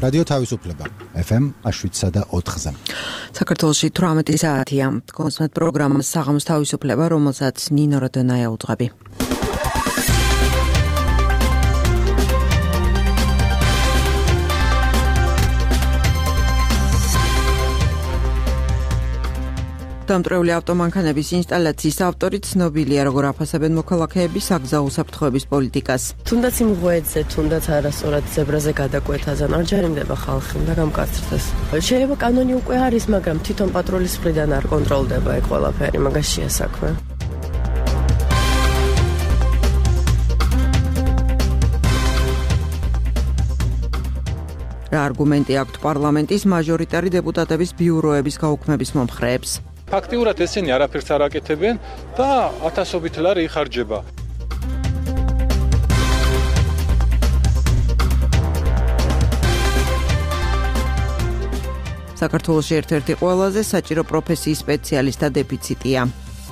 რადიო თავისუფლება FM 7.4-ზე. საქართველოში 18 საათია. კონსმეთ პროგრამას საღამოს თავისუფლება, რომელსაც ნინო როდონაია უძღვები. დამტრეული ავტომანქანების ინსტალაციის ავტორი ცნობილია, როგორ აფასებენ მოქალაქეები საგზაო უსაფრთხოების პოლიტიკას. თუნდაც იმ ღვეძზე, თუნდაც არასწორად ზებრაზე გადაკვეთაზე არ ჯარიმდება ხალხი და გამკაცრდეს. შეიძლება კანონი უკვე არის, მაგრამ თვითონ პატრულის მხრიდან არ კონტროლდება ეგ ყველაფერი, მაგაშია საქმე. რა არგუმენტი აქვთ პარლამენტის მაჟორიტარი დეპუტატების ბიუროების გაუქმების მომხრეებს? ფაქტიურად ესენი არაფერს არ აკეთებენ და ათასობით ლარი იხარჯება. საქართველოში ერთ-ერთი ყველაზე საჭირო პროფესიის სპეციალისტთა დეფიციტია.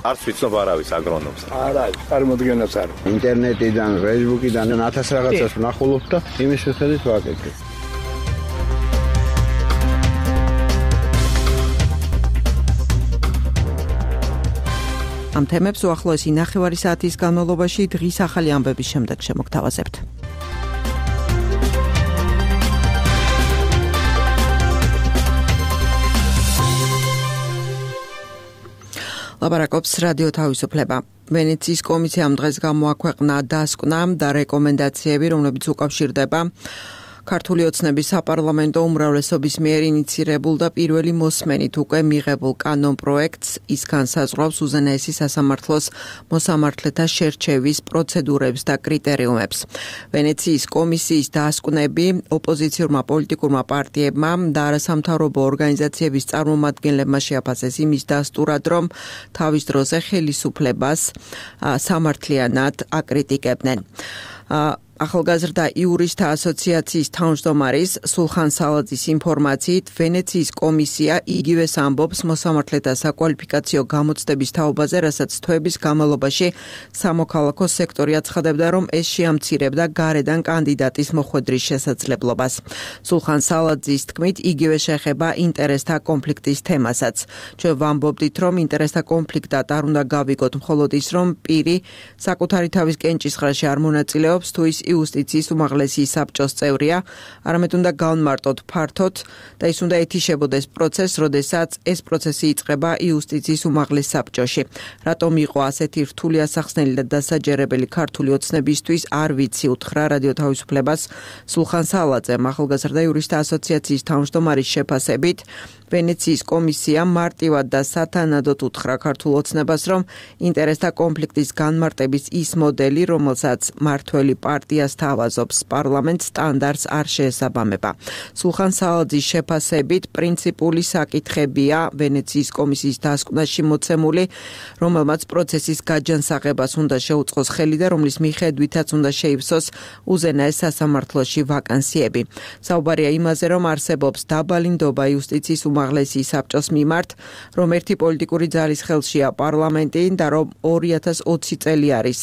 არც ვიცნობ არავის აგრონომს. არა, წარმოდგენაც არ. ინტერნეტიდან, ფეისბუქიდან 1000 რაღაცას ვნახულობ და იმის შეხედვით ვაკეთებ. ამ თემებს უახლოესი 9 საათის განმავლობაში დღის ახალი ამბების შემდეგ შემოგთავაზებთ. ლაპარაკობს რადიო თავისუფლება. ვენეციის კომისიამ დღეს გამოაქვეყნა დასკვნა და რეკომენდაციები, რომლებიც უკავშირდება ქართული ოცნების საპარლამენტო უმრავლესობის მიერ ინიცირებულ და პირველი მოსმენით უკვე მიღებულ კანონ პროექტს. ის განსაზღვრავს უზენაესი სასამართლოს მოსამართლეთა შერჩევის პროცედურებს და კრიტერიუმებს. ვენეციის კომისიის დასკვნები ოპოზიციურმა პოლიტიკურმა პარტიებმა და არასამთავრობო ორგანიზაციების წარმომადგენლებმა შეაფასეს იმის დასტურად, რომ თავის დროზე ხელისუფლებას სამართლიანად აკრიტიკებდნენ. ახალგაზრდა იურისტთა ასოციაციის თავმჯდომარის სულხან სალაძის ინფორმაციით, ვენეციის კომისია იგივეს ამბობს მოსამართლეთა საკვალიფიკაციო გამოცდების თაობაზე, რასაც თვეების განმავლობაში სამოქალაქო სექტორი აცხადებდა, რომ ეს შეამცირებდა გარედან კანდიდატის მოხვედრის შესაძლებლობას. სულხან სალაძის თქმით, იგივე შეხება ინტერესთა კონფლიქტის თემასაც. ჩვენ ვამბობდით, რომ ინტერესთა კონფლიქტად არ უნდა გავიგოთ მხოლოდ ის, რომ პირი საკუთარი თავის კენჭისყრაში არ მონაწილეობს, თუ ის იუსტიციის უმაღლესი საბჭოს წევრია, არამედ უნდა გავმარტოთ ფართოდ და ის უნდა ეთიშებოდეს პროცესს, როდესაც ეს პროცესი იწყება იუსტიციის უმაღლეს საბჭოში. რატომ იყო ასეთი რთული ასახსნელი და დასაჯერებელი ქართული ოცნებისთვის, არ ვიცი, უთხრა რადიო თავისუფლებას სულხან სალაძემ. ახალგაზრდა იურისტთა ასოციაციის თავმჯდომარის შეფასებით, ვენეციის კომისია მარტივად და სათანადოდ უთხრა ქართულ ოცნებას, რომ ინტერესთა კონფლიქტის განმარტების ის მოდელი, რომელსაც მართველი პარტია სთავაზობს პარლამენტს, სტანდარტს არ შეესაბამება. სულხან სალაძის შეფასებით, პრინციპული საკითხებია ვენეციის კომისიის დასკვნაში მოცემული, რომელმაც პროცესის გაჯანსაღებას უნდა შეუწყოს ხელი და რომლის მიხედვითაც უნდა შეივსოს უზენაეს სასამართლოში ვაკანსიები. საუბარია იმაზე, რომ არსებობს დაბალი ნდობა იუსტიციის უმაღლესი საბჭოს მიმართ, რომ ერთი პოლიტიკური ძალის ხელშია პარლამენტი და რომ 2020 წელი არის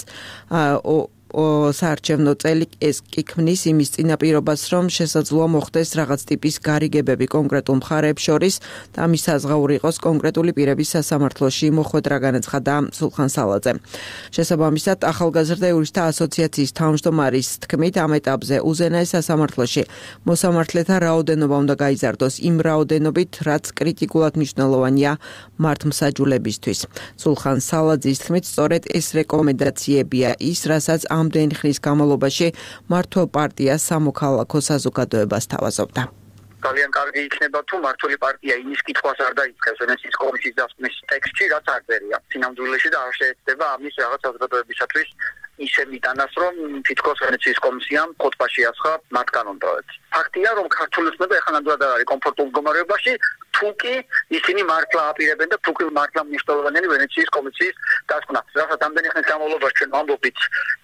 საარჩევნო წელი. ეს კი ქმნის იმის წინაპირობას, რომ შესაძლოა მოხდეს რაღაც ტიპის გარიგებები კონკრეტულ მხარეებს შორის და ამის საზღაური იყოს კონკრეტული პირების სასამართლოში მოხვედრა, განაცხადა სულხან სალაძემ. შესაბამისად, ახალგაზრდა იურისტთა ასოციაციის თავმჯდომარის თქმით, ამ ეტაპზე უზენაეს სასამართლოში მოსამართლეთა რაოდენობა უნდა გაიზარდოს იმ რაოდენობით, რაც კრიტიკულად მნიშვნელოვანია მართლმსაჯულებისთვის. სულხან სალაძის თქმით, სწორედ ეს რეკომენდაციებია ის, რასაც ამდენი ხნის განმავლობაში მართლ პარტიას სამოქალაქო საზოგადოებას თავაზობდა. ძალიან კარგი იქნება თუ მართული პარტია იმის კითხვას არ დაიწყებს ვენეციის კომისიის დასკვნის ტექსტში, რაც არ წერია. სინამდვილეში და არ შეეცდება ამის რაღაც საზოგადოებისათვის ისე მიტანას, რომ თითქოს ვენეციის კომისიამ ხოტბაში ასხა მათ კანონ პროექტს. ფაქტია, რომ ქართული ოცნება ეხლა ნამდვილად არ არის კომფორტულ მდგომარეობაში, თუკი ისინი მართლა აპირებენ და თუკი მართლა მნიშვნელოვანია ვენეციის კომისიის დასკვნა. რასაც ამდენი ხნის განმავლობაში ჩვენ ვამბობთ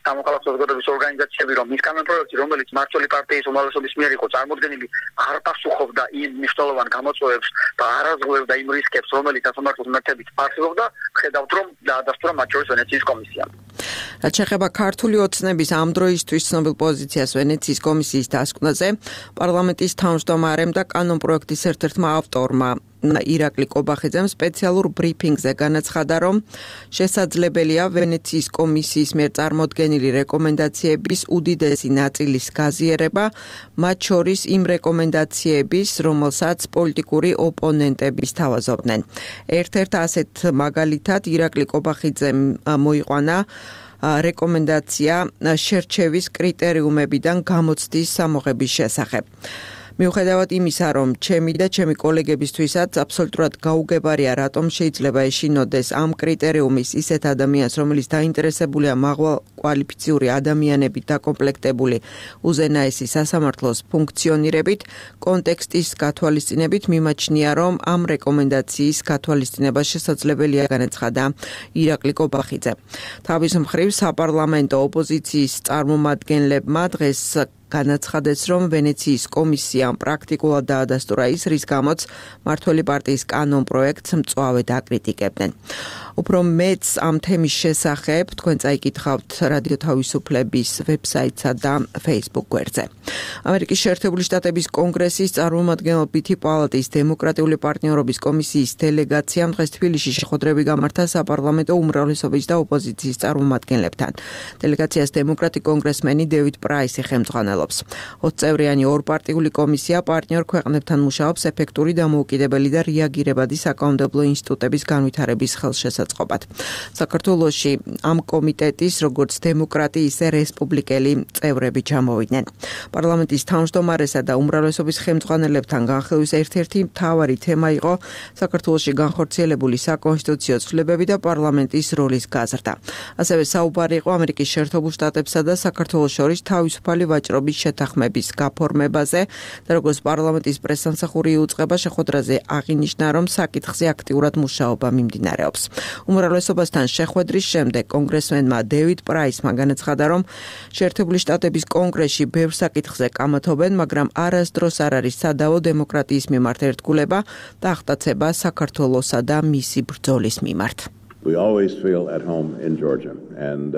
სამოქალაქო საზოგადოების ორგანიზაციები, რომ ის კანონ პროექტი, რომელიც მართული პარტიის უმრავლესობის მიერ იყო წარმოდგენილი, არ პასუხობდა იმ მნიშვნელოვან გამოწვევებს და არაზღვევდა იმ რისკებს, რომელიც სასამართლოს მეთებით არსებობდა, ხედავთ, რომ დაადასტურა მათ შორის ვენეციის კომისიამ. რაც შეეხება ქართული ოცნების ამ დროისთვის ცნობილ პოზიციას ვენეციის კომისიის დასკვნაზე, პარლამენტის თავმჯდომარემ და კანონპროექტის ერთ-ერთმა ავტორმა ირაკლი კობახიძემ სპეციალურ ბრიფინგზე განაცხადა, რომ შესაძლებელია ვენეციის კომისიის მიერ წარმოდგენილი რეკომენდაციების უდიდესი ნაწილის გაზიერება, მათ შორის იმ რეკომენდაციების, რომელსაც პოლიტიკური ოპონენტები სთავაზობდნენ. ერთ-ერთ ასეთ მაგალითად ირაკლი კობახიძემ მოიყვანა რეკომენდაცია შერჩევის კრიტერიუმებიდან გამოცდის სამოღების შესახებ. მიუხედავად იმისა, რომ ჩემი და ჩემი კოლეგებისთვისაც აბსოლუტურად გაუგებარია, რატომ შეიძლება ეშინოდეს ამ კრიტერიუმის ისეთ ადამიანს, რომელიც დაინტერესებულია მაღალკვალიფიციური ადამიანებით დაკომპლექტებული უზენაესი სასამართლოს ფუნქციონირებით, კონტექსტის გათვალისწინებით მიმაჩნია, რომ ამ რეკომენდაციის გათვალისწინება შესაძლებელია, განაცხადა ირაკლი კობახიძე. თავის მხრივ საპარლამენტო ოპოზიციის წარმომადგენლებმა დღეს განაცხადეს, რომ ვენეციის კომისიამ პრაქტიკულად დაადასტურა ის, რის გამოც მმართველი პარტიის კანონპროექტს მწვავედ აკრიტიკებდნენ. უფრო მეც ამ თემის შესახებ თქვენ წაიკითხავთ რადიო თავისუფლების ვებსაიტსა და Facebook გვერდზე. ამერიკის შეერთებული შტატების კონგრესის წარმომადგენლობითი პალატის დემოკრატიული პარტნიორობის კომისიის დელეგაციამ დღეს თბილისში შეხვედრები გამართა საპარლამენტო უმრავლესობის და ოპოზიციის წარმომადგენლებთან. დელეგაციას დემოკრატი კონგრესმენი დევიდ პრაისი ხელმძღვანელობს. 20 წევრიანი ორპარტიული კომისია პარტნიორ ქვეყნებთან მუშაობს ეფექტური დამოუკიდებელი და რეაგირებადი საკანონმდებლო ინსტიტუტების განვითარების ხელშესაწყობად. საქართველოში ამ კომიტეტის როგორც დემოკრატი, ისე რესპუბლიკელი წევრები ჩამოვიდნენ. პარლამენტის თავმჯდომარესა და უმრავლესობის ხელმძღვანელებთან განხილვის ერთ-ერთი მთავარი თემა იყო საქართველოში განხორციელებული საკონსტიტუციო ცვლილებები და პარლამენტის როლის გაზრდა. ასევე საუბარი იყო ამერიკის შეერთებულ შტატებსა და საქართველოს შორის თავისუფალი ვაჭრობის შეთანხმების გაფორმებაზე და როგორც პარლამენტის პრესსამსახური იუწყება შეხვედრაზე აღინიშნა, რომ საკითხზე აქტიურად მუშაობა მიმდინარეობს. უმრავლესობასთან შეხვედრის შემდეგ კონგრესმენმა დევიდ პრაისმა განაცხადა, რომ შეერთებული შტატების კონგრესში ბევრ საკითხზე კამათობენ, მაგრამ არასდროს არ არის სადავო დემოკრატიის მიმართ ერთგულება და აღტაცება საქართველოსა და მისი ბრძოლის მიმართ. We always feel at home in Georgia and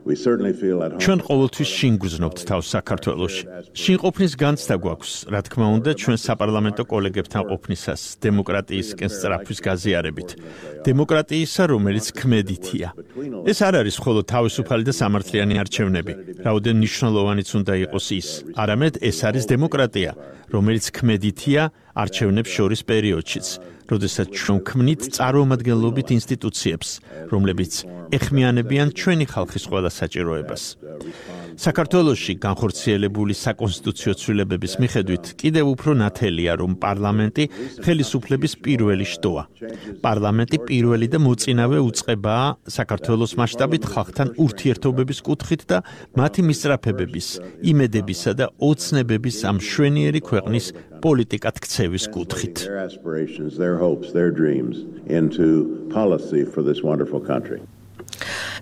we certainly feel at home. ჩვენ ყოველთვის შინ გვზნობთ თავს საქართველოში. შინ ყოფნის განცდა გვაქვს, რა თქმა უნდა, ჩვენ საპარლამენტო კოლეგებთან ყოფნისას დემოკრატიისკენ სწრაფვის გაზიარებით. დემოკრატიისა, რომელიც ქმედითია. ეს არ არის მხოლოდ თავისუფალი და სამართლიანი არჩევნები. რაოდენ მნიშვნელოვანიც უნდა იყოს ის. არამედ ეს არის დემოკრატია, რომელიც ქმედითია არჩევნებს შორის პერიოდშიც. როდესაც ჩვენ ქმნით წარმომადგენლობით ინსტიტუციებს, რომლებიც ეხმიანებიან ჩვენი ხალხის ყველა საჭიროებას. საქართველოში განხორციელებული საკონსტიტუციო ცვლილებების მიხედვით კიდევ უფრო ნათელია, რომ პარლამენტი ხელისუფლების პირველი შტოა. პარლამენტი პირველი და მოწინავე უწყებაა საქართველოს მასშტაბით ხალხთან ურთიერთობების კუთხით და მათი მისწრაფებების, იმედებისა და ოცნებების ამ მშვენიერი ქვეყნის პოლიტიკად ქცევის კუთხით.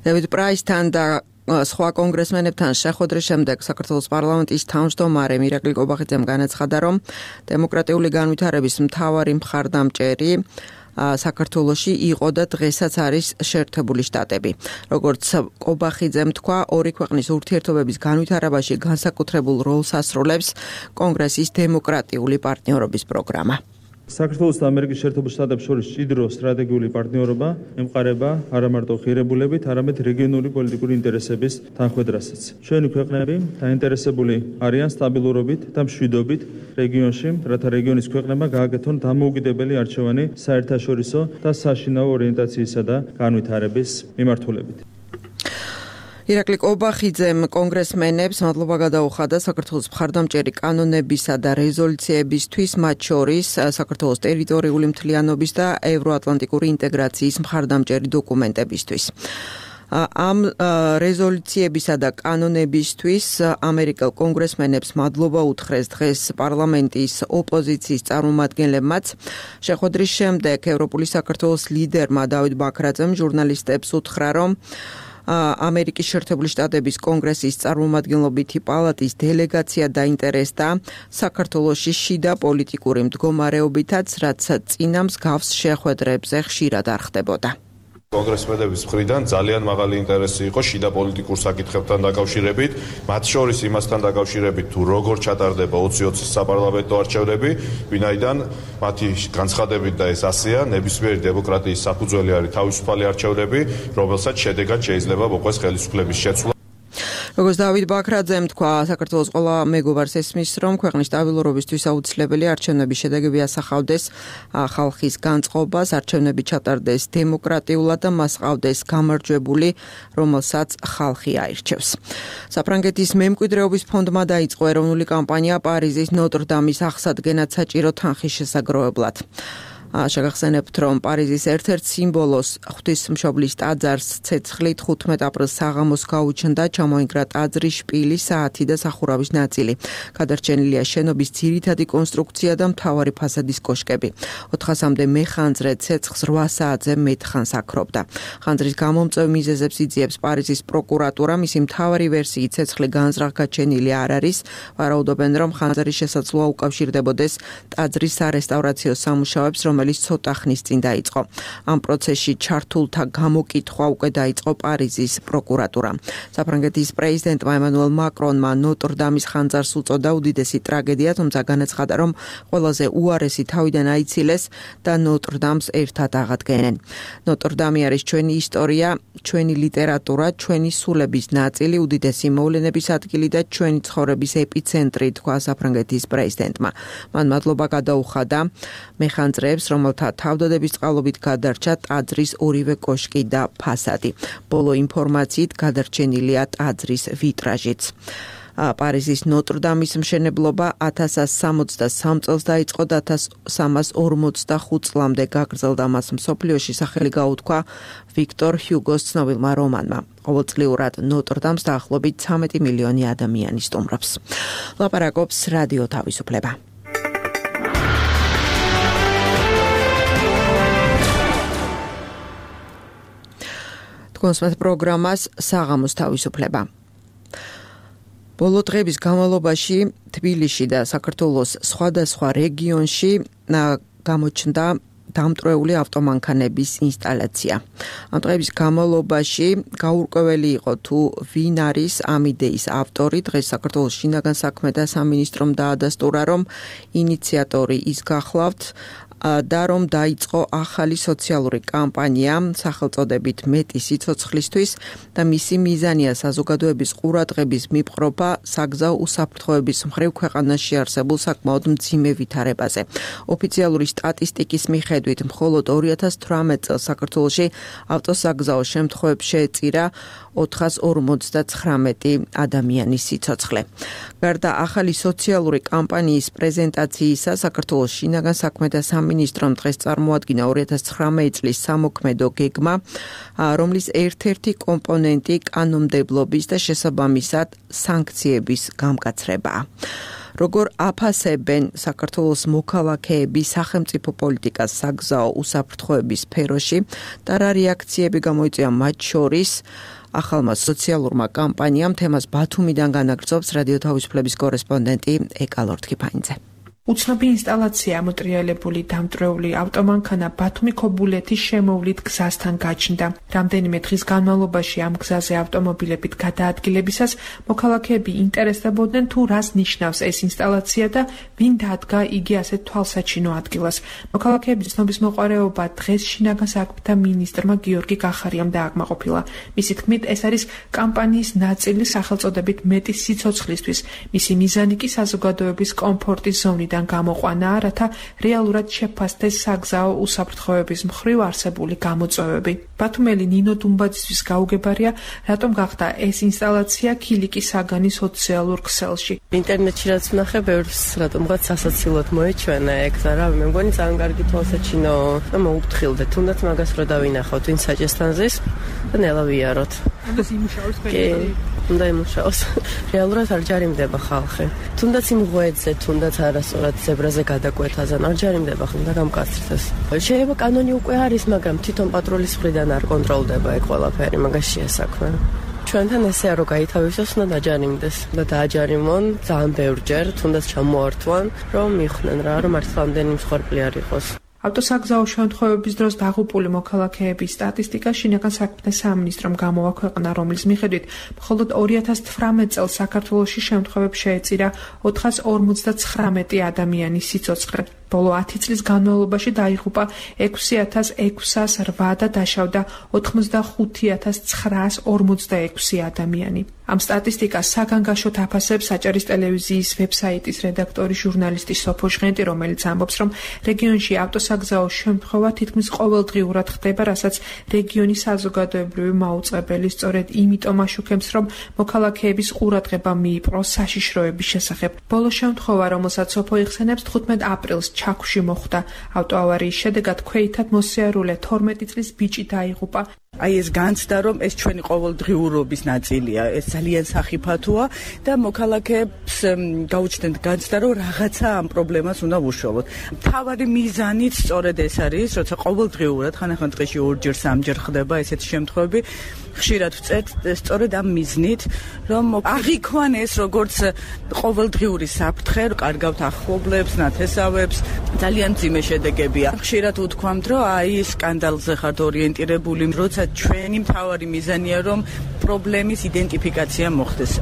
დევიდ პრაისთან და სხვა კონგრესმენებთან შეხვედრის შემდეგ საქართველოს პარლამენტის თავმჯდომარემ ირაკლი კობახიძემ განაცხადა, რომ დემოკრატიული განვითარების მთავარი მხარდამჭერი საქართველოში იყო და დღესაც არის შეერთებული შტატები. როგორც კობახიძემ თქვა, ორი ქვეყნის ურთიერთობების განვითარებაში განსაკუთრებულ როლს ასრულებს კონგრესის დემოკრატიული პარტნიორობის პროგრამა. საქართველოს და ამერიკის შეერთებულ შტატებს შორის მჭიდრო სტრატეგიული პარტნიორობა ემყარება არა მარტო ღირებულებით, არამედ რეგიონული პოლიტიკური ინტერესების თანხვედრასაც. ჩვენი ქვეყნები დაინტერესებული არიან სტაბილურობით და მშვიდობით რეგიონში, რათა რეგიონის ქვეყნებმა გააკეთონ დამოუკიდებელი არჩევანი საერთაშორისო და საშინაო ორიენტაციისა და განვითარების მიმართულებით. ირაკლი კობახიძემ კონგრესმენებს მადლობა გადაუხადა საქართველოს მხარდამჭერი კანონებისა და რეზოლუციებისთვის, მათ შორის საქართველოს ტერიტორიული მთლიანობის და ევროატლანტიკური ინტეგრაციის მხარდამჭერი დოკუმენტებისთვის. ამ რეზოლუციებისა და კანონებისთვის ამერიკელ კონგრესმენებს მადლობა უთხრეს დღეს პარლამენტის ოპოზიციის წარმომადგენლებმაც. შეხვედრის შემდეგ ევროპული საქართველოს ლიდერმა დავით ბაქრაძემ ჟურნალისტებს უთხრა, რომ ამერიკის შეერთებული შტატების კონგრესის წარმომადგენლობითი პალატის დელეგაცია დაინტერესდა საქართველოში შიდა პოლიტიკური მდგომარეობითაც, რაც წინა მსგავს შეხვედრებზე ხშირად არ ხდებოდა. კონგრესმენების მხრიდან ძალიან მაღალი ინტერესი იყო შიდა პოლიტიკურ საკითხებთან დაკავშირებით, მათ შორის იმასთან დაკავშირებით, თუ როგორ ჩატარდება 2020 საპარლამენტო არჩევნები, ვინაიდან მათი განცხადებით და ეს ასეა, ნებისმიერი დემოკრატიის საფუძველი არის თავისუფალი არჩევნები, რომელსაც შედეგად შეიძლება მოყვეს ხელისუფლების შეცვლა. როგორც დავით ბაქრაძემ თქვა, საქართველოს ყველა მეგობარს ესმის, რომ ქვეყნის სტაბილურობისთვის აუცილებელი არჩევნების შედეგები ასახავდეს ხალხის განწყობას, არჩევნები ჩატარდეს დემოკრატიულად და მას ჰყავდეს გამარჯვებული, რომელსაც ხალხი აირჩევს. საფრანგეთის მემკვიდრეობის ფონდმა დაიწყო ეროვნული კამპანია პარიზის ნოტრ-დამის აღსადგენად საჭირო თანხის შესაგროვებლად. შეგახსენებთ, რომ პარიზის ერთ-ერთ სიმბოლოს ღვთისმშობლის ტაძარს ცეცხლით 15 აპრილს საღამოს გაუჩნდა, ჩამოინგრა ტაძრის შპილი, საათი და სახურავის ნაწილი. გადარჩენილია შენობის ძირითადი კონსტრუქცია და მთავარი ფასადის კოშკები. 400-მდე მეხანძრე ცეცხლს 8 საათზე მეტხანს აქრობდა. ხანძრის გამომწვევ მიზეზებს იძიებს პარიზის პროკურატურა, მისი მთავარი ვერსიით ცეცხლი განზრახ გაჩენილი არ არის. ვარაუდობენ, რომ ხანძრის შესაძლოა უკავშირდებოდეს ტაძრის სარესტავრაციო სამუშაოებს, რომელიც ცოტა ხნის წინ დაიწყო. ამ პროცესში ჩართულთა გამოკითხვა უკვე დაიწყო პარიზის პროკურატურამ. საფრანგეთის პრეზიდენტმა ემანუელ მაკრონმა ნოტრ-დამის ხანძარს უწოდა უდიდესი ტრაგედია, თუმცა განაცხადა, რომ ყველაზე უარესი თავიდან აიცილეს და ნოტრ-დამს ერთად აღადგენენ. ნოტრ-დამი არის ჩვენი ისტორია, ჩვენი ლიტერატურა, ჩვენი სულების ნაწილი, უდიდესი მოვლენების ადგილი და ჩვენი ცხოვრების ეპიცენტრი, თქვა საფრანგეთის პრეზიდენტმა. მან მადლობა გადაუხადა მეხანძრეებს, რომელთა თავდადების წყალობით გადარჩა ტაძრის ორივე კოშკი და ფასადი. ბოლო ინფორმაციით გადარჩენილია ტაძრის ვიტრაჟიც. პარიზის ნოტრ-დამის მშენებლობა 1163 წელს დაიწყო და 1345 წლამდე გაგრძელდა. მას მსოფლიოში სახელი გაუთქვა ვიქტორ ჰიუგოს ცნობილმა რომანმა. ყოველწლიურად ნოტრ-დამს დაახლოებით 13 მილიონი ადამიანი სტუმრობს. ლაპარაკობს რადიო თავისუფლება. კონსმეთ პროგრამას საღამოს თავისუფლება. ბოლო დღების განმავლობაში თბილისში და საქართველოს სხვადასხვა რეგიონში გამოჩნდა დამტვრეული ავტომანქანების ინსტალაცია. ამ დღების განმავლობაში გაურკვეველი იყო თუ ვინ არის ამ იდეის ავტორი. დღეს საქართველოს შინაგან საქმეთა სამინისტრომ დაადასტურა, რომ ინიციატორი ის გახლავთ და რომ დაიწყო ახალი სოციალური კამპანია სახელწოდებით მეტი სიცოცხლისთვის და მისი მიზანია საზოგადოების ყურადღების მიპყრობა საგზაო უსაფრთხოების მხრივ ქვეყანაში არსებულ საკმაოდ მძიმე ვითარებაზე. ოფიციალური სტატისტიკის მიხედვით მხოლოდ 2018 წელს საქართველოში ავტოსაგზაო შემთხვევებს შეეწირა 459 ადამიანის სიცოცხლე. გარდა ახალი სოციალური კამპანიის პრეზენტაციისა, საქართველოს შინაგან საქმეთა სამინისტრომ დღეს წარმოადგინა 2019 წლის სამოქმედო გეგმა, რომლის ერთ-ერთი კომპონენტი კანონმდებლობის და შესაბამისად სანქციების გამკაცრებაა. როგორ აფასებენ საქართველოს მოქალაქეები სახელმწიფო პოლიტიკას საგზაო უსაფრთხოების სფეროში და რა რეაქციები გამოიწვია მათ შორის ახალმა სოციალურმა კამპანიამ, თემას ბათუმიდან განაგრძობს რადიო თავისუფლების კორესპონდენტი ეკა ლორთქიფანიძე. უცნობი ინსტალაცია ამოტრიალებული დამტვრეული ავტომანქანა ბათუმი-ქობულეთის შემოვლით გზასთან გაჩნდა. რამდენიმე დღის განმავლობაში ამ გზაზე ავტომობილებით გადაადგილებისას მოქალაქეები ინტერესდებოდნენ თუ რას ნიშნავს ეს ინსტალაცია და ვინ დადგა იგი ასეთ თვალსაჩინო ადგილას. მოქალაქეების ცნობისმოყვარეობა დღეს შინაგან საქმეთა მინისტრმა გიორგი კახარიამ დააკმაყოფილა. მისი თქმით, ეს არის კამპანიის ნაწილი სახელწოდებით მეტი სიცოცხლისთვის. მისი მიზანი კი საზოგადოების კომფორტის ზონიდან გამოყვანაა, რათა რეალურად შეფასდეს საგზაო უსაფრთხოების მხრივ არსებული გამოწვევები. ბათუმელი ნინო დუმბაძისთვის გაუგებარია, რატომ გახდა ეს ინსტალაცია ქილიკი საგანის სოციალურ ქსელში. ინტერნეტში რაც ვნახე, ბევრს რატომღაც სასაცილოდ მოეჩვენა ეგ და რა, მე მგონი ძალიან კარგი თვალსაჩინო და მოუფრთხილდე, თუნდაც მაგას რო დავინახავთ, ვინ საჭესთან ზის და ნელა ვიაროთ. ამას იმუშაოს უნდა იმუშაოს. რეალურად არ ჯარიმდება ხალხი. თუნდაც იმ ღვეძზე, თუნდაც არასწორად ზებრაზე გადაკვეთაზე არ ჯარიმდება ხალხი და გამკაცრდეს. შეიძლება კანონი უკვე არის, მაგრამ თვითონ პატრულის მხრიდან არ კონტროლდება ეგ ყველაფერი, მაგაშია საქმე. ჩვენთან ესეა რომ გაითავისოს და დაჯარიმდეს და დააჯარიმონ ძალიან ბევრჯერ, თუნდაც ჩამოართვან, რომ მიხდნენ რა, რომ მართლა ამდენი მსხვერპლი არ იყოს. ავტოსაგზაო შემთხვევების დროს დაღუპული მოქალაქეების სტატისტიკა შინაგან საქმეთა სამინისტრომ გამოაქვეყნა, რომლის მიხედვით მხოლოდ 2018 წელს საქართველოში შემთხვევებს შეეწირა 459 ადამიანის სიცოცხლე. ბოლო 10 წლის განმავლობაში დაიღუპა 6608 და დაშავდა 85946 ადამიანი. ამ სტატისტიკას საგანგაშოდ აფასებს საჭარის ტელევიზიის ვებსაიტის რედაქტორი ჟურნალისტი სოფო ჟღენტი, რომელიც ამბობს, რომ რეგიონში ავტოსაგზაო შემთხვევა თითქმის ყოველდღიურად ხდება, რასაც რეგიონის საზოგადოებრივი მაუწყებელი სწორედ იმიტომ აშუქებს, რომ მოქალაქეების ყურადღება მიიპყროს საშიშროების შესახებ. ბოლო შემთხვევა, რომელსაც სოფო იხსენებს, 15 აპრილს ჩაქვში მოხდა. ავტოავარიის შედეგად ქვეითად მოსიარულე 12 წლის ბიჭი დაიღუპა. აი ეს განცდა, რომ ეს ჩვენი ყოველდღიურობის ნაწილია, ეს ძალიან სახიფათოა და მოქალაქეებს გაუჩნდათ განცდა, რომ რაღაცა ამ პრობლემას უნდა ვუშველოთ. მთავარი მიზანიც სწორედ ეს არის, როცა ყოველდღიურად ხანახან დღეში 2-ჯერ 3-ჯერ ხდება ესეთი შემთხვევები, ხშირად ვწერთ სწორედ ამ მიზნით, რომ აღიქვან ეს როგორც ყოველდღიური საფრთხე, კარგავთ ახლობლებს, ნათესავებს, ძალიან მძიმე შედეგებია. ხშირად უთქვამთ, რომ აი სკანდალზე ხართ ორიენტირებული, როცა ჩვენი მთავარი მიზანია, რომ პრობლემის იდენტიფიკაცია მოხდეს.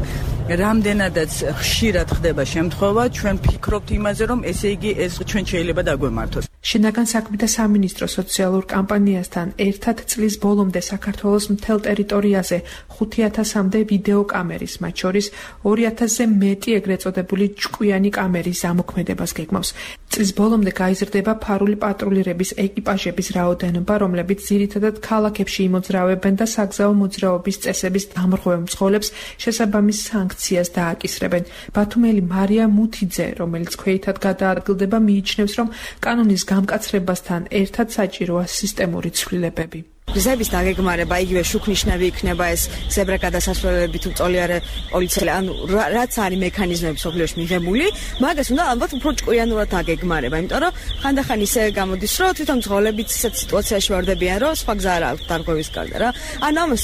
რამდენადაც ხშირად ხდება შემთხვევა, ჩვენ ფიქრობთ იმაზე, რომ ესე იგი ეს ჩვენ შეიძლება დაგვემართოს. შინაგან საქმეთა სამინისტრო სოციალურ კამპანიასთან ერთად წლის ბოლომდე საქართველოს მთელ ტერიტორიაზე 5000-მდე ვიდეო კამერის, მათ შორის 2000-ზე მეტი ეგრეთ წოდებული ჭკვიანი კამერის ზამოქმედებას გეგმავს. წლის ბოლომდე გაიზრდება ფარული პატრულირების ეკიპაჟების რაოდენობა, რომლებიც ძირითადად ქალაქებში იმოძრავებენ და საგზაო მოძრაობის წესების დამრღვევ მძღოლებს შესაბამის სანქციას დააკისრებენ. ბათუმელი მარია მუთიძე, რომელიც ქვეითად გადაადგილდება, მიიჩნევს, რომ კანონის გამკაცრებასთან ერთად საჭიროა სისტემური ცვლილებები. გზების დაგეგმარება, იგივე შუქნიშნები იქნება ეს ზებრა გადასასვლელები თუ წოლიარე პოლიციელი, ანუ რაც არის მექანიზმები სოფლიოში მიღებული, მაგას უნდა ალბათ უფრო ჭკვიანურად დაგეგმარება, იმიტომ რომ ხანდახან ისე გამოდის, რომ თვითონ მძღოლებიც ისეთ სიტუაციაში ვარდებიან, რომ სხვა გზა არ აქვს დარღვევის გარდა რა. ანუ ამას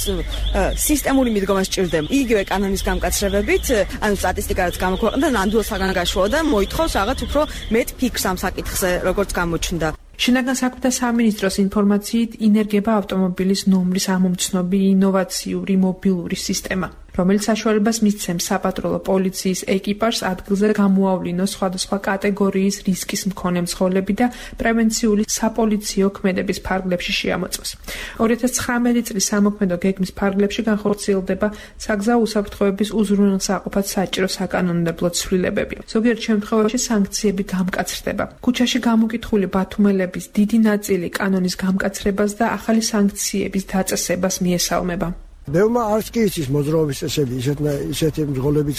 სისტემური მიდგომა სჭირდება. იგივე კანონის გამკაცრებებით, ანუ სტატისტიკა რაც გამოქვეყნდა, ნამდვილ საგანგაშოა და მოითხოვს რაღაც უფრო მეტ ფიქრს ამ საკითხზე, როგორც გამოჩნდა. შინაგან საქმეთა სამინისტროს ინფორმაციით ინერგება ავტომობილის ნომრის ამომცნობი ინოვაციური მობილური სისტემა, რომელიც საშუალებას მისცემს საპატრულო პოლიციის ეკიპაჟს ადგილზე გამოავლინოს სხვადასხვა კატეგორიის რისკის მქონე მძღოლები და პრევენციული საპოლიციო ქმედების ფარგლებში შეამოწმოს. 2019 წლის სამოქმედო გეგმის ფარგლებში განხორციელდება საგზაო უსაფრთხოების უზრუნველსაყოფად საჭირო საკანონმდებლო ცვლილებები. ზოგიერთ შემთხვევაში სანქციები გამკაცრდება. ქუჩაში გამოკითხული ბათუმელების დიდი ნაწილი კანონის გამკაცრებას და ახალი სანქციების დაწესებას მიესალმება. ბევრმა არც კი იცის მოძრაობის წესები, ისეთი მძღოლებიც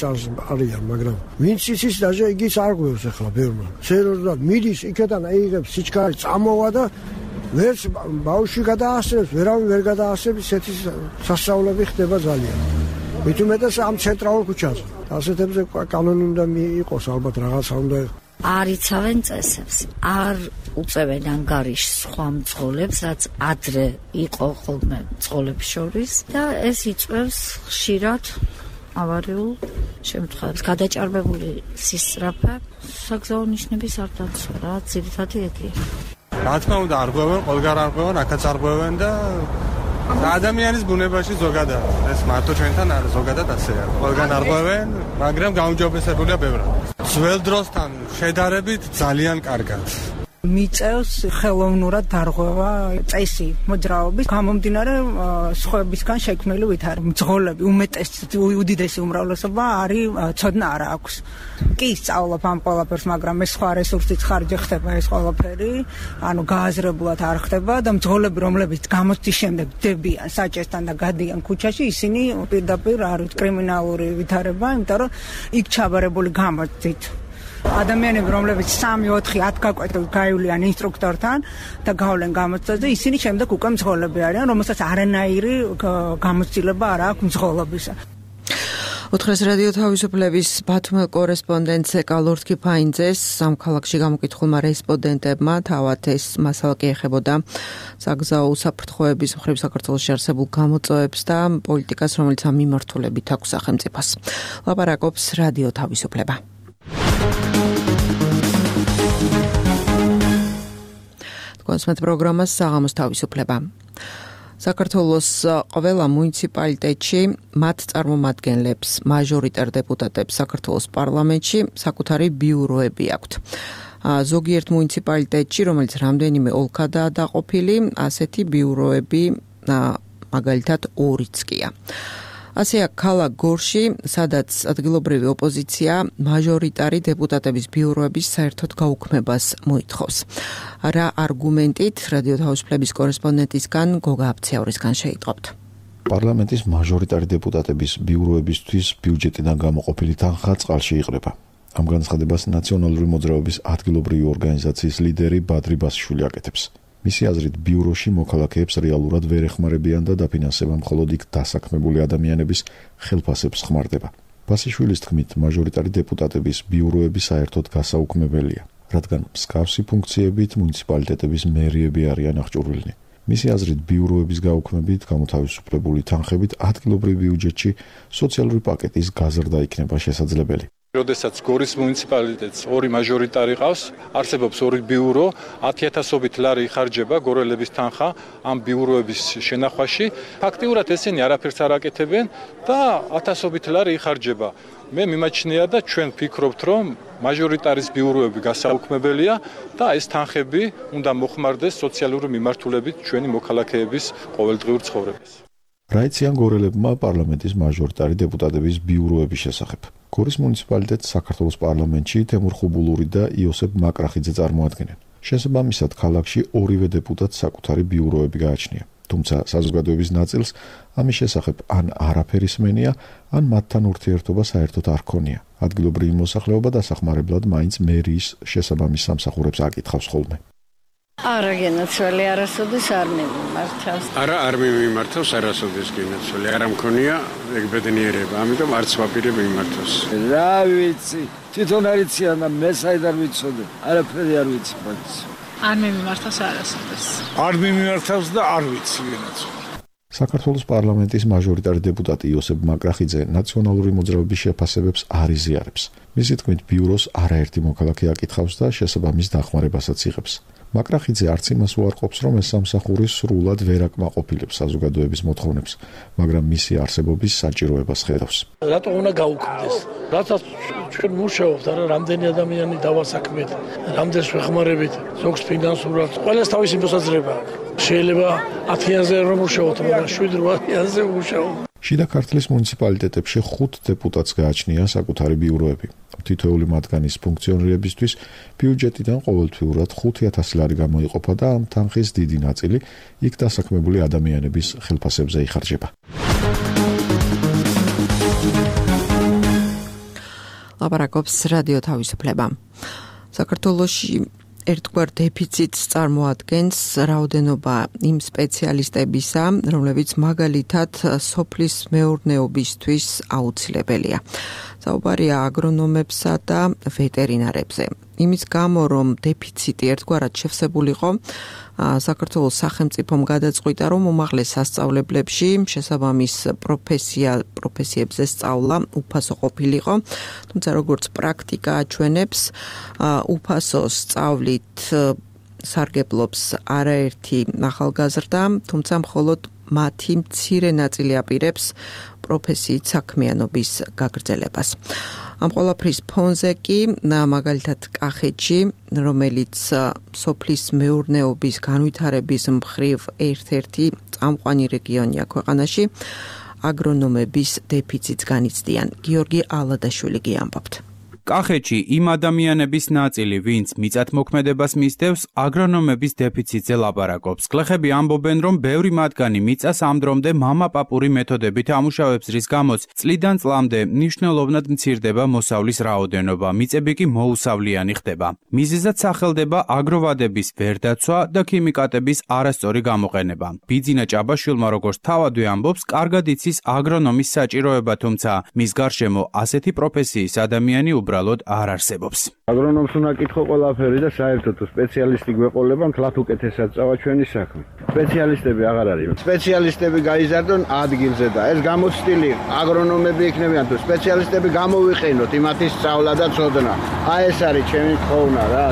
არიან, მაგრამ ვინც იცის, დაჟე იგიც არ გვევს ახლა ბევრმა. სერიოზულად მიდის იქიდან აიღებს სიჩქარე, წამოვა და ვერც ბავშვი გადაასწრებს, ვერავინ ვერ გადაასწრებს, ესეთი სასწაულები ხდება ძალიან. მით უმეტეს ამ ცენტრალურ ქუჩაზე. ასეთებზე კანონი უნდა მიიყოს, ალბათ რაღაცა უნდა არ იცავენ წესებს, არ უწევენ ანგარიშს სხვა მძღოლებს, რაც ადრე იყო ხოლმე მძღოლებს შორის და ეს იწვევს ხშირად ავარიულ შემთხვევებს. გადაჭარბებული სისწრაფე, საგზაო ნიშნების არ დაცვა, რა ძირითადი ეგია. რა თქმა უნდა, არღვევენ, ყველგან არღვევენ, აქაც არღვევენ და ადამიანის ბუნებაში ზოგადად, ეს მარტო ჩვენთან არ ზოგადად ასეა. ყველგან არღვევენ, მაგრამ გაუმჯობესებულია ბევრად. ძველ დროსთან შედარებით ძალიან კარგად. მიწევს ხელოვნურად დარღვევა წესი მოძრაობის გამომდინარე სხვებისგან შექმნილი ვითარ მძღოლები უდიდესი უმრავლესობა არის ცოდნა არ აქვს. კი სწავლობ ამ ყველაფერს, მაგრამ ეს სხვა რესურსით ხარჯი ხდება ეს ყველაფერი, ანუ გააზრებულად არ ხდება და მძღოლები რომლებიც გამოცდის შემდეგ დებიან საჭესთან და გადიან ქუჩაში, ისინი პირდაპირ არის კრიმინალური ვითარება, იმიტომ რომ იქ ჩაბარებული გამოცდით ადამიანები, რომლებიც 3-4-10 გაკვეთილ გაივლიან ინსტრუქტორთან და გავლენ გამოცდაზე, ისინი შემდეგ უკვე მძღოლები არიან, რომელსაც არანაირი გამოცდილება არ აქვს მძღოლობისა. ოთხეს რადიო თავისუფლების ბათუმელ კორესპონდენტზე კალორთკი ფაინძეს ამ ქალაქში გამოკითხულმა რესპონდენტებმა თავად ეს მასალა კი ეხებოდა საგზაო უსაფრთხოების მხრივ საქართველოში არსებულ გამოწვევებს და პოლიტიკას, რომელიც ამ მიმართულებით აქვს სახელმწიფოს. ლაპარაკობს რადიო თავისუფლება. კონსმეთ პროგრამას საღამოს თავისუფლება. საქართველოს ყველა მუნიციპალიტეტში მათ წარმომადგენლებს, მაჟორიტარ დეპუტატებს საქართველოს პარლამენტში საკუთარი ბიუროები აქვთ. ზოგიერთ მუნიციპალიტეტში, რომელიც რამდენიმე ოლქადაა დაყოფილი, ასეთი ბიუროები მაგალითად 2-იც ყია. ასეა ქალაქ გორში, სადაც ადგილობრივი ოპოზიცია მაჟორიტარი დეპუტატების ბიუროების საერთოდ გაუქმებას მოითხოვს. რა არგუმენტით რადიო თავისუფლების კორესპონდენტისგან გოგა აბციაურისგან შეიტყობთ. პარლამენტის მაჟორიტარი დეპუტატების ბიუროებისთვის ბიუჯეტიდან გამოყოფილი თანხა წყალში იყრება. ამ განცხადებას ნაციონალური მოძრაობის ადგილობრივი ორგანიზაციის ლიდერი ბადრი ბასიშვილი აკეთებს. მისი აზრით, ბიუროში მოქალაქეებს რეალურად ვერ ეხმარებიან და დაფინანსება მხოლოდ იქ დასაქმებული ადამიანების ხელფასებს ხმარდება. ბასიშვილის თქმით, მაჟორიტარი დეპუტატების ბიუროები საერთოდ გასაუქმებელია, რადგან მსგავსი ფუნქციებით მუნიციპალიტეტების მერიები არიან აღჭურვილნი. მისი აზრით, ბიუროების გაუქმებით გამოთავისუფლებული თანხებით ადგილობრივ ბიუჯეტში სოციალური პაკეტის გაზრდა იქნება შესაძლებელი. როდესაც გორის მუნიციპალიტეტს 2 მაჟორიტარი ყავს, არსებობს 2 ბიურო, 10,000-ობით ლარი იხარჯება გორელების თანხა ამ ბიუროების შენახვაში. ფაქტიურად ესენი არაფერს არ აკეთებენ და 1000-ობით ლარი იხარჯება. მე მიმაჩნია და ჩვენ ვფიქრობთ, რომ მაჟორიტარის ბიუროები გასაუქმებელია და ეს თანხები უნდა მოხმარდეს სოციალური მიმართულებით ჩვენი მოქალაქეების ყოველდღიურ ცხოვრებას. რა იციან გორელებმა პარლამენტის მაჟორიტარი დეპუტატების ბიუროების შესახებ? გორის მუნიციპალიტეტს საქართველოს პარლამენტში თემურ ხუბულური და იოსებ მაკრახიძე წარმოადგენენ. შესაბამისად, ქალაქში 2-ვე დეპუტატს საკუთარი ბიუროები გააჩნია. თუმცა საზოგადოების ნაწილს ამის შესახებ ან არაფერი სმენია, ან მათთან ურთიერთობა საერთოდ არ ქონია. ადგილობრივი მოსახლეობა დასახმარებლად მაინც მერიის შესაბამის სამსახურებს აკითხავს ხოლმე. არა გენაცვალი არასოდეს არ მიმართავს. არ მიმართავს არასოდეს გენაცვალი. არ მქონია ეგ ბედნიერება, ამიტომ არც ვაპირებ მიმართოს. რა ვიცი, თვითონ არიციან და მე საიდან ვიცოდე. არაფერი არ ვიცი բայց. არ მიმართავს არასოდეს. არ მიმართავს და არ ვიცი გენაცვალი. საქართველოს პარლამენტის მაჟორიტარი დეპუტატი იოსებ მაკრახიძე ნაციონალური მოძრაობის შეფასებებს არ იზიარებს. მისი თქმით, ბიუროს არაერთი მოქალაქე აკითხავს და შესაბამის დახმარებასაც იღებს. მაკრახიძე არც იმას უარყოფს, რომ ეს სამსახური სრულად ვერ აკმაყოფილებს საზოგადოების მოთხოვნებს, მაგრამ მისი არსებობის საჭიროებას ხედავს. რატო უნდა გაუქმდეს? რასაც ჩვენ მუშაობთ, არა რამდენი ადამიანი დავასაქმეთ, რამდენს ვეხმარებით, ზოგს ფინანსურად, ყველას თავისი მოსაზრება აქვს. შეიძლება 10-იანზე რომ მუშაობთ, მაგრამ 7-8-იანზე მუშაობთ. შიდა ქართლის მუნიციპალიტეტებში 5 დეპუტატს გააჩნია საკუთარი ბიუროები. თითოეული მათგანის ფუნქციონირებისთვის ბიუჯეტიდან ყოველთვიურად 5,000 ლარი გამოიყოფა და ამ თანხის დიდი ნაწილი იქ დასაქმებული ადამიანების ხელფასებზე იხარჯება. ლაპარაკობს რადიო თავისუფლება. საქართველოში ერთგვარ დეფიციტს წარმოადგენს რაოდენობა იმ სპეციალისტებისა, რომლებიც მაგალითად სოფლის მეურნეობისთვის აუცილებელია. საუბარია აგრონომებსა და ვეტერინარებზე. იმის გამო, რომ დეფიციტი ერთგვარად შევსებულიყო, საქართველოს სახელმწიფომ გადაწყვიტა, რომ უმაღლეს სასწავლებლებში შესაბამის პროფესიებზე სწავლა უფასო ყოფილიყო, თუმცა როგორც პრაქტიკა აჩვენებს, უფასო სწავლით სარგებლობს არაერთი ახალგაზრდა, თუმცა მხოლოდ მათი მცირე ნაწილი აპირებს პროფესიით საქმიანობის გაგრძელებას. ამ ყველაფრის ფონზე კი მაგალითად კახეთში, რომელიც სოფლის მეურნეობის განვითარების მხრივ ერთ-ერთი წამყვანი რეგიონია ქვეყანაში, აგრონომების დეფიციტს განიცდიან. გიორგი ალადაშვილი ამბობთ. კახეთში იმ ადამიანების ნაწილი, ვინც მიწათმოქმედებას მისდევს, აგრონომების დეფიციტზე ლაპარაკობს. გლეხები ამბობენ, რომ ბევრი მათგანი მიწას ამდრომდე მამა-პაპური მეთოდებით ამუშავებს, რის გამოც წლიდან წლამდე მნიშვნელოვნად მცირდება მოსავლის რაოდენობა, მიწები კი მოუსავლიანი ხდება. მიზეზად სახელდება აგროვადების ვერდაცვა და ქიმიკატების არასწორი გამოყენება. ბიძინა ჭაბაშვილმა, როგორც თავადვე ამბობს, კარგად იცის აგრონომის საჭიროება, თუმცა მის გარშემო ასეთი პროფესიის ადამიანი უბრალოდ არ არსებობს. აგრონომს უნდა კითხო ყველაფერი და საერთოდ სპეციალისტი გვეყოლება, მთლად უკეთესად წავა ჩვენი საქმე. სპეციალისტები აღარ არის. სპეციალისტები გაიზარდონ ადგილზე და ეს გამოცდილი აგრონომები იქნებიან თუ სპეციალისტები გამოვიყენოთ იმათი სწავლა და ცოდნა. აი ეს არის ჩემი თხოვნა რა.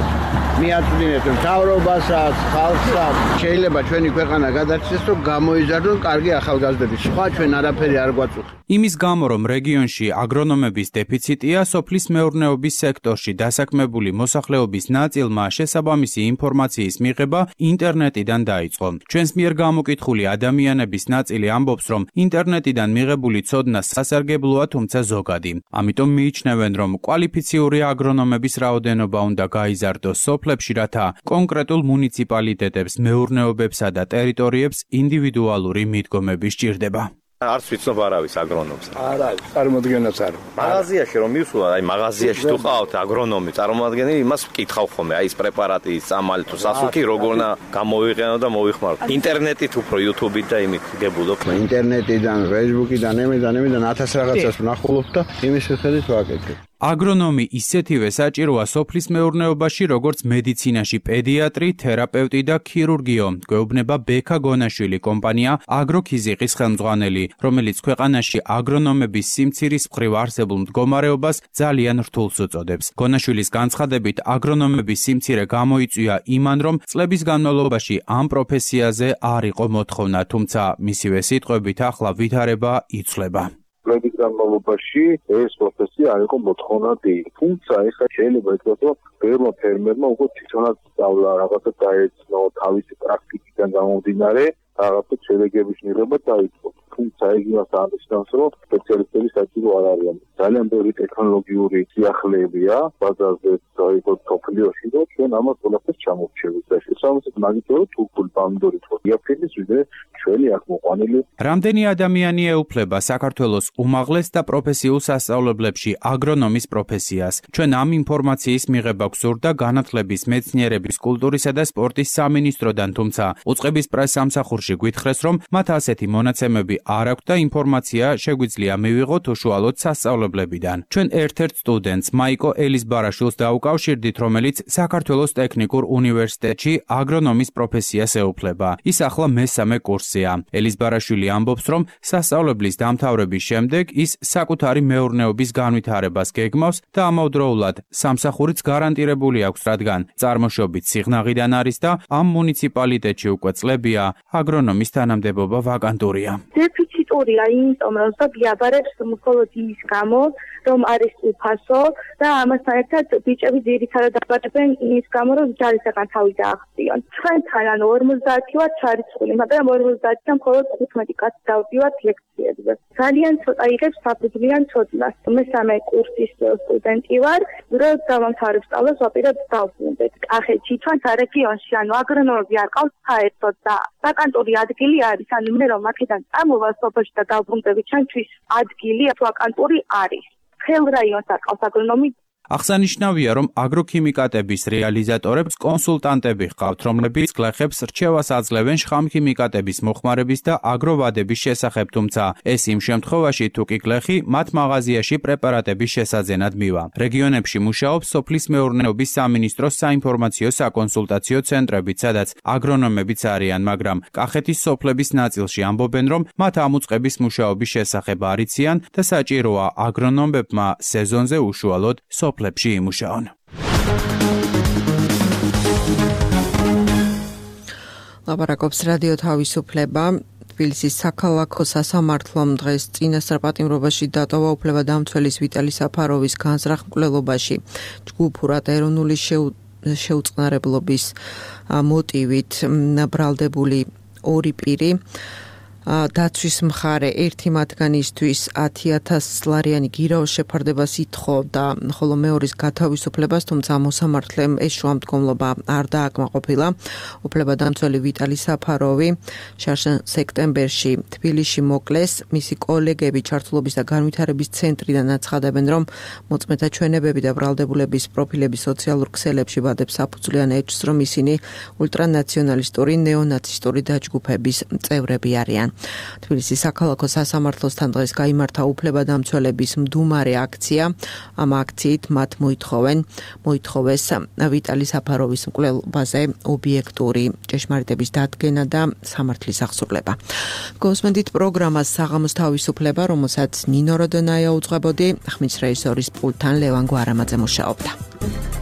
მიაწვდინეთ მთავრობასაც, ხალხსაც. შეიძლება ჩვენი ქვეყანა გადარჩეს, რომ გამოიზარდონ კარგი ახალგაზრდები. სხვა ჩვენ არაფერი არ გვაწუხებს. იმის გამო, რომ რეგიონში აგრონომების დეფიციტია, სოფლის მეურნეობის სექტორში დასაქმებული მოსახლეობის ნაწილმა შესაბამისი ინფორმაციის მიღება ინტერნეტიდან დაიწყო. ჩვენს მიერ გამოკითხული ადამიანების ნაწილი ამბობს, რომ ინტერნეტიდან მიღებული ცოდნა სასარგებლოა, თუმცა ზოგადი. ამიტომ მიიჩნევენ, რომ კვალიფიციური აგრონომების რაოდენობა უნდა გაიზარდოს სოფლებში, რათა კონკრეტულ მუნიციპალიტეტებს, მეურნეობებსა და ტერიტორიებს ინდივიდუალური მიდგომები სჭირდება. არც ვიცნობ არავის აგრონომს. არა, წარმოადგენაც არა. მაღაზიაში რომ მივსულა, აი მაღაზიაში თუ ყავთ აგრონომი, წარმოადგენელი იმას ვკითხავ ხოლმე, აი ეს პრეპარატი, წამალი თუ სასუქი როგორ გამოვიყენო და მოვიხმარო. ინტერნეტით უფრო YouTube-ით და იმით გებულობ. ინტერნეტიდან, Facebook-იდან, ამიდან 1000 რაღაცას ვნახულობ და იმის მიხედვით ვაკეთებ. აგრონომი ისეთივე საჭიროა სოფლის მეურნეობაში, როგორც მედიცინაში პედიატრი, თერაპევტი და ქირურგიო. გვეუბნება ბექა გონაშვილი კომპანია აგროქიზიყის ხელმძღვანელი, რომელიც ქვეყანაში აგრონომების სიმცირის მხრივ არსებულ მდგომარეობას ძალიან რთულს უწოდებს. გონაშვილის განცხადებით, აგრონომების სიმცირე გამოიწვია იმან, რომ წლების განმავლობაში ამ პროფესიაზე არ იყო მოთხოვნა, თუმცა მისივე სიტყვებით ახლა ვითარება იცვლება. წლების განმავლობაში ეს პროფესია არ იყო მოთხოვნადი. თუმცა ეხლა შეიძლება ითქვას, რომ ბევრმა ფერმერმა უკვე თვითონაც სწავლა, რაღაცა დაეცნო, თავისი პრაქტიკიდან გამომდინარე, რაღაცა შედეგების მიღება დაიწყო. თუმცა ეგ იმას აღნიშნავს, რომ სპეციალისტები საჭირო არ არიან. ძალიან ბევრი ტექნოლოგიური სიახლეებია ბაზარზე დაიწყო სოფლიოში და ჩვენ ამას ყველაფერს ჩამოვჩევით და შესაბამისად მაგითო თურქული პამიდორი თქო იაფილის ვიდრე ჩვენი აქ მოყვანილი. რამდენი ადამიანი ეუფლება საქართველოს უმაღლეს და პროფესიულ სასწავლებლებში აგრონომის პროფესიას? ჩვენ ამ ინფორმაციის მიღება გვსურდა განათლების, მეცნიერების, კულტურისა და სპორტის სამინისტროდან, თუმცა უწყების პრესსამსახურში გვითხრეს, რომ მათ ასეთი მონაცემები არ აქვთ და ინფორმაცია შეგვიძლია მივიღოთ უშუალოდ სასწავლებლებიდან. ჩვენ ერთ-ერთ სტუდენტს მაიკო ელისბარაშვილს დაუკავშირდით, რომელიც საქართველოს ტექნიკურ უნივერსიტეტში აგრონომის პროფესიას ეუფლება. ის ახლა მესამე კურსია. ელისბარაშვილი ამბობს, რომ სასწავლებლის დამთავრების შემდეგ ის საკუთარი მეურნეობის განვითარებას გეგმავს და ამავდროულად სამსახურიც გარანტირებული აქვს, რადგან წარმოშობით სიღნაღიდან არის და ამ მუნიციპალიტეტში უკვე წლებია აგრონომის თანამდებობა ვაკანტურია. დეფიციტურია იმიტომ, რომ ზოგიაბარებს მხოლოდ იმის გამო, რომ არის უფასო და ამასთან ერთად ბიჭები ძირითადად აბარებენ იმის გამო, რომ ჯარისაგან თავი დაახტიონ. ჩვენთან ანუ 50 ვართ ჩარიცხული, მაგრამ 50-დან მხოლოდ 15 კაცი დავდივართ ლექციებზე. ძალიან ცოტა იღებს საფუძვლიან ცოდნას. მესამე კურსის სტუდენტი ვარ, რომ დავამთავრებ სწავლას ვაპირებ დავბრუნდეთ. კახეთში ჩვენთა რეგიონში ანუ აგრონომები არ ყავს საერთოდ და ვაკანტური ადგილი არის, ანუ მე რომ აქედან წამოვა სოფელში და დავბრუნდები, ჩვენთვის ადგილი ვაკანტური არის. ხელ რაიონს არ ყავს აგრონომი. აღსანიშნავია, რომ აგროქიმიკატების რეალიზატორებს კონსულტანტები ჰყავთ, რომლებიც გლეხებს რჩევას აძლევენ შხამქიმიკატების მოხმარების და აგროვადების შესახებ, თუმცა ეს იმ შემთხვევაში, თუ კი გლეხი მათ მაღაზიაში პრეპარატების შესაძენად მივა. რეგიონებში მუშაობს სოფლის მეურნეობის სამინისტროს საინფორმაციო საკონსულტაციო ცენტრებიც, სადაც აგრონომებიც არიან, მაგრამ კახეთის სოფლების ნაწილში ამბობენ, რომ მათ ამ უწყების მუშაობის შესახებ არ იციან და საჭიროა აგრონომებმა სეზონზე უშუალოდ სოფლებში იმუშაონ. ლაპარაკობს რადიო თავისუფლება. თბილისის საქალაქო სასამართლომ დღეს წინასწარ პატიმრობაში დატოვა უფლებადამცველის ვიტალი საფაროვის განზრახ მკვლელობაში. ჯგუფურად ეროვნული შეუწყნარებლობის მოტივით ბრალდებული ორი პირი დაცვის მხარე ერთი მათგანისთვის 10,000 ლარიანი გირაოს შეფარდებას ითხოვდა, ხოლო მეორის გათავისუფლებას, თუმცა მოსამართლემ ეს შუამდგომლობა არ დააკმაყოფილა. უფლებადამცველი ვიტალი საფაროვი სექტემბერში თბილისში მოკლეს. მისი კოლეგები ჩართულობის და განვითარების ცენტრიდან აცხადებენ, რომ მოწმეთა ჩვენებები და ბრალდებულების პროფილები სოციალურ ქსელებში ვადებს საფუძვლიან ეჭვს, რომ ისინი ულტრანაციონალისტური, ნეონაცისტური დაჯგუფების წევრები არიან. თბილისის საქალაქო სასამართლოსთან დღეს გაიმართა უფლებადამცველების მდუმარე აქცია. ამ აქციით მათ მოითხოვეს ვიტალი საფაროვის მკვლელობაზე ობიექტური ჭეშმარიტების დადგენა და სამართლის აღსრულება. გოსმენდით პროგრამას საღამოს თავისუფლება, რომელსაც ნინო როდონაია უძღვებოდი, ხმის რეჟისორის პულტთან ლევან გვარამაძე მუშაობდა.